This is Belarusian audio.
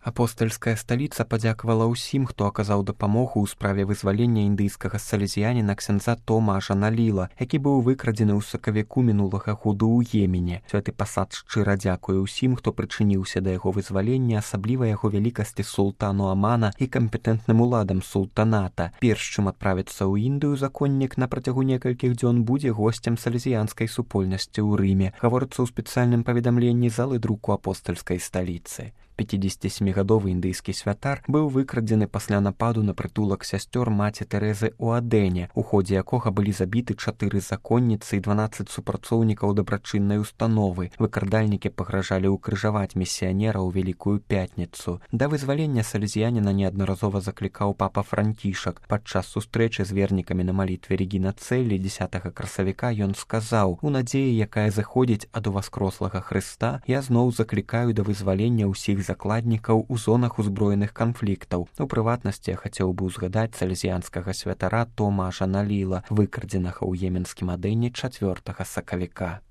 Апостальская сталіца падзякавала ўсім, хто аказаў дапамогу ў справе вызвалення індыйскага салезіяніна ксяндза Тома Ажаналіла, які быў выкрадзены ў сакавіку мінулага году ў Йемене. Святы пасад шчыра дзякуе ўсім, хто прычыніўся да яго вызвалення, асабліва яго вялікасці султану Амана і кампетэнтным уладам султаната. Перш чым адправіцца ў Індыю, законнік на працягу некалькіх дзён будзе госцем салезіянскай супольнасці ў Рыме, гаворыцца ў спецыяльным паведамленні залы друку апостальскай сталіцы. 57-гадовы індыйскі святар быў выкрадзены пасля нападу на прытулак сясцёр маці Тэрэзы ў Адене, у ходзе якога былі забіты 4 законніцы і 12 супрацоўнікаў дабрачыннай установы. Выкрадальнікі пагражалі ўкрыжаваць місіянера ў Вялікую пятніцу. Да вызвалення салезіяніна неаднаразова заклікаў папа Францішак. Падчас сустрэчы з вернікамі на малітве Регіна Цэлі 10 красавіка ён сказаў: «У надзеі, якая заходзіць ад уваскрослага Хрыста, я зноў заклікаю да вызвалення ўсіх закладнікаў у зонах узброеных канфліктаў. У прыватнасці я хацеў бы ўзгадаць салезіянскага святара Тома Ажаналіла, выкрадзенага ў еменскім Адэне 4 сакавіка».